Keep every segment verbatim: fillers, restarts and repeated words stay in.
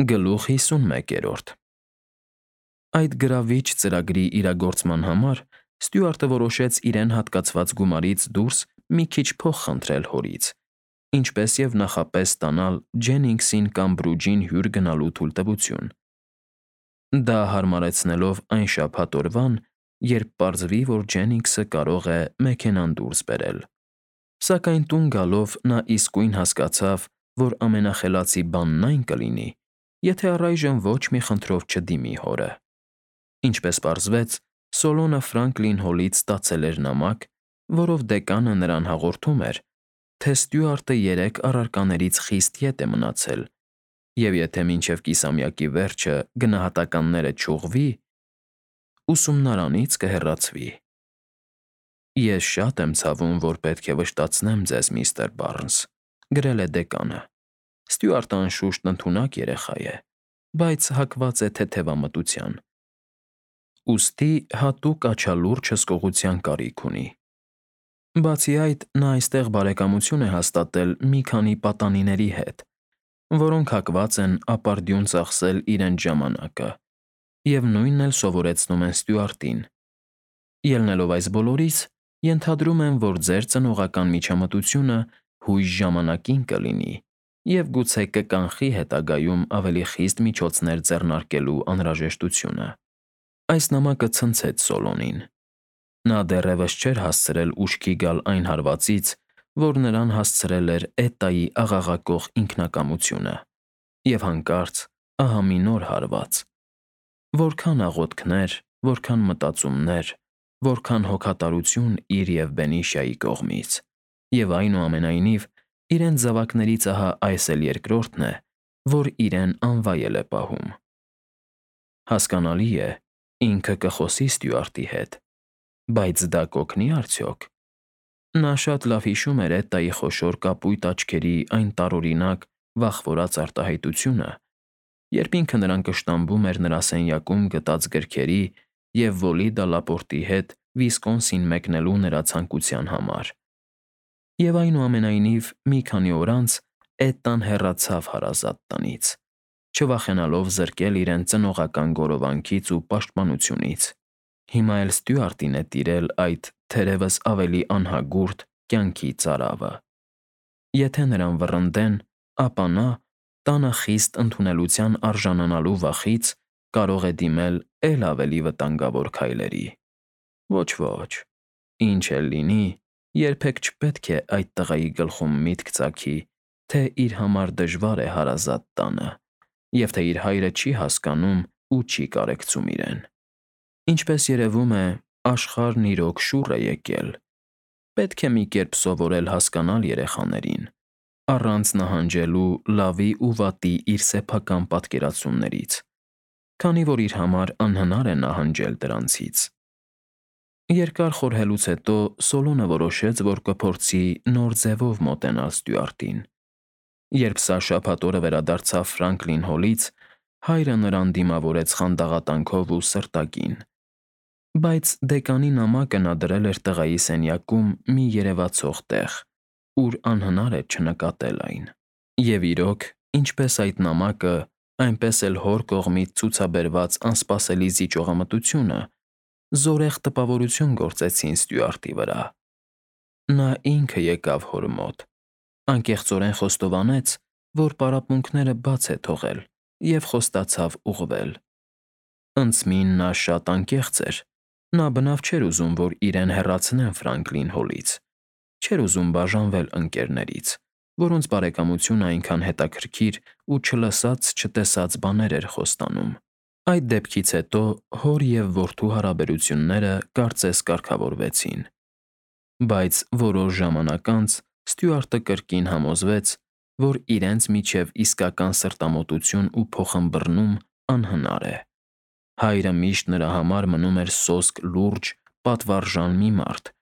Գլուխ հիսունմեկերորդ Այդ գրավիչ ծրագրի իրագործման համար Ստյուարտը որոշեց իրեն հատկացված գումարից դուրս մի քիչ փող խնդրել հորից, ինչպես և նախապես ստանալ Ջենինգսին կամ Բրուջին հյուր գնալու թույլտվություն, դա հարմարեցնելով այն շաբաթ օրվան, երբ պարզվի, որ Ջենինգսը կարող է մեքենան դուրս բերել, սակայն տուն գալով նա իսկույն հասկացավ, որ ամենախելացի բանն այն կլինի, եթե առայժմ ոչ մի խնդրով չդիմի հորը։ Ինչպես պարզվեց, Սոլոնը Ֆրանկլին Հոլից ստացել էր նամակ, որով դեկանը նրան հաղորդում էր, թե Ստյուարտը երեք առարկաներից խիստ ետ է մնացել, և եթե մինչև կիսամյակի վերջը գնահատականները չուղղվի, ուսումնարանից կհեռացվի։ Ես շատ եմ ցավում, որ պետք է վշտացնեմ ձեզ, միստր Բարնս, գրել է դեկանը։ Ստյուարտը անշուշտ ընդունակ երեխա է, բայց հակված է թեթևամտության, ուստի հատուկ աչալուրջ հսկողության կարիք ունի։ Բացի այդ, նա այստեղ բարեկամություն է հաստատել մի քանի պատանիների հետ, որոնք հակված են ապարդյուն ծախսել իրենց ժամանակը, և նույնն էլ սովորեցնում են Ստյուարտին։ Ելնելով այս բոլորից, ենթադրում եմ, որ ձեր ծնողական միջամտությունը հույժ ժամանակին կլինի և գուցե կկանխի հետագայում ավելի խիստ միջոցներ ձեռնարկելու անհրաժեշտությունը։ Այս նամակը ցնցեց Սոլոնին։ Նա դեռևս չէր հասցրել ուշքի գալ այն հարվածից, որ նրան հասցրել էր Էտայի աղաղակող ինքնակամությունը, և հանկարծ ահա մի նոր հարված։ Որքան աղոթքներ, որքան մտածումներ, որքան հոգատարություն իր և Բենիշիայի կողմից, և այնուամենայնիվ, իրենց զավակներից ահա այս էլ երկրորդն է, որ իրեն անվայել է պահում։ Հասկանալի է, ինքը կխոսի Ստյուարտի հետ, բայց դա կօգնի՞ արդյոք։ Նա շատ լավ հիշում էր Էտայի խոշոր կապույտ աչքերի այն տարօրինակ, վախվորած արտահայտությունը, երբ ինքը նրան կշտամբում էր նրա սենյակում գտած գրքերի և Վոլիդա Լապորտի հետ Վիսկոնսին մեկնելու նրա ցանկության համար։ Եվ այնուամենայնիվ, մի քանի օր անց Էտան հեռացավ հարազատ տնից, չվախենալով զրկել իրեն ծնողական գորովանքից ու պաշտպանությունից։ Հիմա էլ Ստյուարտին է տիրել այդ, թերևս ավելի անհագուրդ, կյանքի ծարավը։ Եթե նրան վռնդեն, ապա նա, տանը խիստ ընդունելության արժանանալու վախից, կարող է դիմել էլ ավելի վտանգավոր քայլերի։ Ոչ, ինչ էլ լինի, երբեք չպետք է այդ տղայի գլխում միտք ծագի, թե իր համար դժվար է հարազատ տանը, և թե իր հայրը չի հասկանում ու չի կարեկցում իրեն։ Ինչպես երևում է, աշխարհն իրոք շուռ է եկել։ Պետք է մի կերպ սովորել հասկանալ երեխաներին, առանց նահանջելու լավի ու վատի իր սեփական պատկերացումներից, քանի որ իր համար անհնար է նահանջել դրանցից։ Երկար խորհելուց հետո Սոլոնը որոշեց, որ կփորձի նոր ձևով մոտենալ Ստյուարտին։ Երբ սա շաբաթ օրը վերադարձավ Ֆրանկլին Հոլից, հայրը նրան դիմավորեց խանդաղատանքով ու սրտագին։ Բայց դեկանի նամակը նա դրել էր տղայի սենյակում մի երևացող տեղ, ուր անհնար է չնկատել այն։ Եվ իրոք, ինչպես այդ նամակը, այնպես էլ հոր կողմից ցուցաբերված անսպասելի զիջողամտությունը զորեղ տպավորություն գործեցին Ստյուարտի վրա։ Նա ինքը եկավ հոր մոտ, անկեղծորեն խոստովանեց, որ պարապմունքները բաց է թողել և խոստացավ ուղղվել։ Ընծմին նա շատ անկեղծ էր, նա բնավ չէր ուզում, որ իրեն հեռացնեն Ֆրանկլին Հոլից, չէր ուզում բաժանվել ընկերներից, որոնց բարեկամությունը այնքան հետաքրքիր ու չլսած֊չտեսած բաներ էր խոստանում։ Այդ դեպքից հետո հոր և որդու հարաբերությունները կարծես կարգավորվեցին։ Բայց որոշ ժամանակ անց Ստյուարտը կրկին համոզվեց, որ իրենց միջև իսկական սրտամոտություն ու փոխըմբռնում անհնար է։ Հայրը միշտ նրա համար մնում էր սոսկ լուրջ, պատվարժան մի մարդ,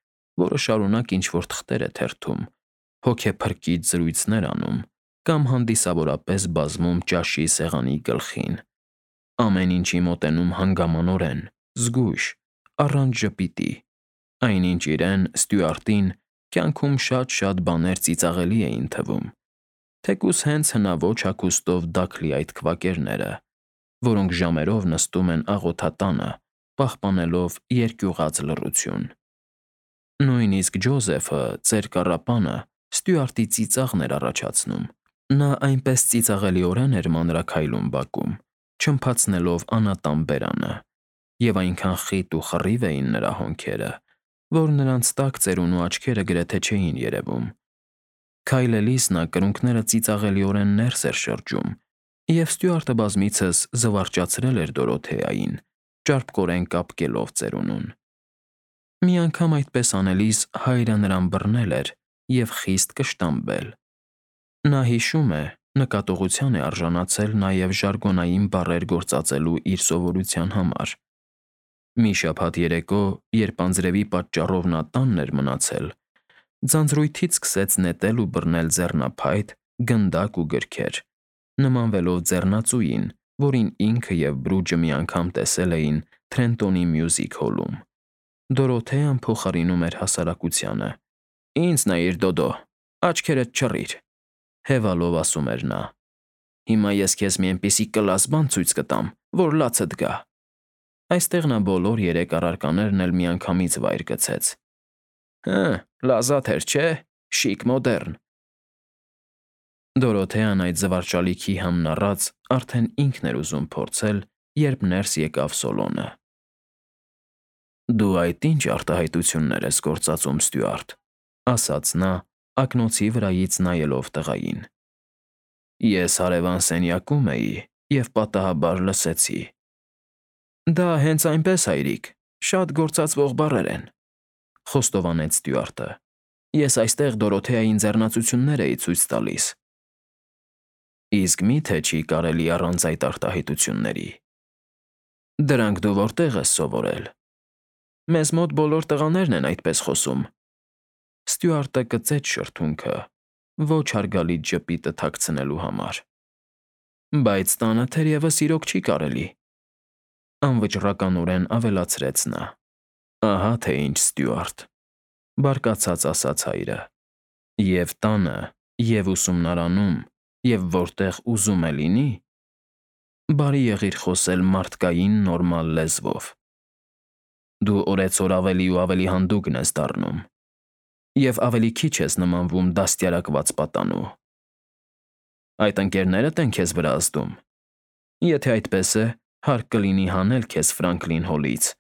որը շարունակ ինչ֊որ թղթեր է թերթում, հոգեփրկիչ զրույցներ անում կամ հանդիսավորապես բազմում ճաշի սեղանի գլխին, ամեն ինչի մոտենում հանգամանորեն, զգույշ, առանց ժպիտի, այնինչ իրեն՝ Ստյուարտին, կյանքում շատ֊շատ բաներ ծիծաղելի էին թվում, թեկուզ հենց հնաոճ հագուստով դաքլի այդ քվակերները, որոնք ժամերով նստում են աղոթատանը, պահպանելով երկյուղած լռություն։ Նույնիսկ Ջոզեֆը, ծեր կառապանը, Ստյուարտի ծիծաղն էր առաջացնում։ Նա այնպես ծիծաղելիորեն էր մանրաքայլում բակում, չմփացնելով անատան բերանը, եւ այնքան խիտ ու խռիվ էին նրա հոնքերը, որ նրանց տակ ծերունու աչքերը գրեթե չէին երևում։ Քայլելիս նա կրունկները ծիծաղելիորեն ներս էր շրջում, եւ Ստյուարտը բազմիցս զվարճացրել էր Դորոթեային, ճարպկորեն կապկելով ծերունուն։ Մի անգամ այդպես անելիս հայրը նրան բռնել էր եւ խիստ կշտամբել։ Նա հիշում է, նկատողության է արժանացել նաև ժարգոնային բառեր գործածելու իր սովորության համար։ Մի շաբաթ երեկո, երբ անձրևի պատճառով նա տանն էր մնացել, ձանձրույթից սկսեց նետել ու բռնել ձեռնափայտ, գնդակ ու գրքեր, նմանվելով ձեռնածուին, որին ինքը եւ Բրուջը մի անգամ տեսել էին Թրենտոնի Մյուզիք հոլում։ Դորոթեան փոխարինում էր հասարակությանը. «Ինձ նայիր, Դոդո, աչքերդ չռիր», հևալով ասում էր նա։ «Հիմա ես քեզ մի այնպիսի կլաս բան ցույց կտամ, որ լացդ գա»։ Այստեղ նա բոլոր երեք առարկաներն էլ միանգամից վայր գցեց։ «Հը, լազաթ էր, չէ՞, շիկ մոդեռն»։ Դորոթեան այդ զվարճալիքի համն առած արդեն ինքն էր ուզում փորձել, երբ ներս եկավ Սոլոնը։ «Դու այդ ի՞նչ արտահայտություններ ես գործածում, Ստյուարտ», ասաց նա, ակնոցի վրայից նայելով տղային։ «Ես հարևան սենյակում էի և պատահաբար լսեցի»։ «Դա հենց այնպես, հայրիկ, շատ գործածվող բառեր են», խոստովանեց Ստյուարտը։ «Ես այստեղ Դորոթեային ձեռնացություններ էի ցույց տալիս»։ «Իսկ մի՞թե չի կարելի առանց այդ արտահայտությունների։ Դրանք դու որտե՞ղ ես սովորել։ Մեզ մոտ բոլոր տղաներն են այդպես խոսում»։ Ստյուարտը կծեց շրթունքը, ոչ հարգալից ժպիտը թաքցնելու համար։ «Բայց տանը թերևս իրոք չի կարելի», անվճռականորեն ավելացրեց նա։ «Ահա թե ինչ, Ստյուարտ», բարկացած ասաց հայրը։ «Եվ տանը, և ուսումնարանում, և որտեղ ուզում է լինի, բարի եղիր խոսել մարդկային նորմալ լեզվով։ Դու օրեցօր ավելի ու ավելի հանդուգն ես դառնում, և ավելի քիչ ես նմանվում դաստիարակված պատանու։ Այդ ընկերներդ են քեզ վրա ազդում։ Եթե այդպես է, հարկ կլինի հանել քեզ Ֆրանկլին Հոլից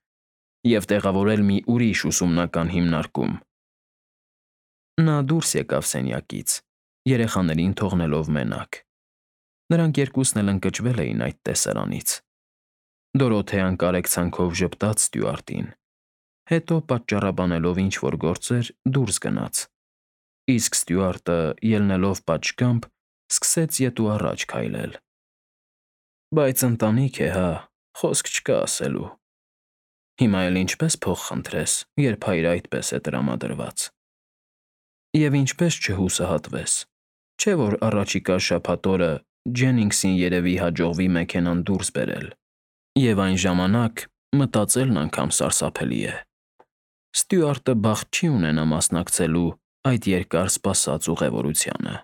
և տեղավորել մի ուրիշ ուսումնական հիմնարկում»։ Նա դուրս եկավ սենյակից, երեխաներին թողնելով մենակ։ Նրանք երկուսն էլ ընկճվել էին այդ տեսարանից։ Դորոթեան կարեկցանքով ժպտաց Ստյուարտին, հետո պատճառաբանելով ինչ֊որ գործեր, դուրս գնաց, իսկ Ստյուարտը, ելնելով պատշգամբ, սկսեց ետ ու առաջ քայլել։ «Բայց ընտանիք է, հա, խոսք չկա ասելու։ Հիմա էլ ինչպե՞ս փող խնդրես, երբ հայրը այդպես է տրամադրված։ Եվ ինչպե՞ս չհուսահատվես, չէ՞ որ առաջիկա շաբաթ օրը Ջենինգսին երևի հաջողվի մեքենան դուրս բերել, և այն ժամանակ մտածելն անգամ սարսափելի է։ Ստյուարտը բախտ չի ունենա մասնակցելու այդ երկար սպասած ուղևորությանը»։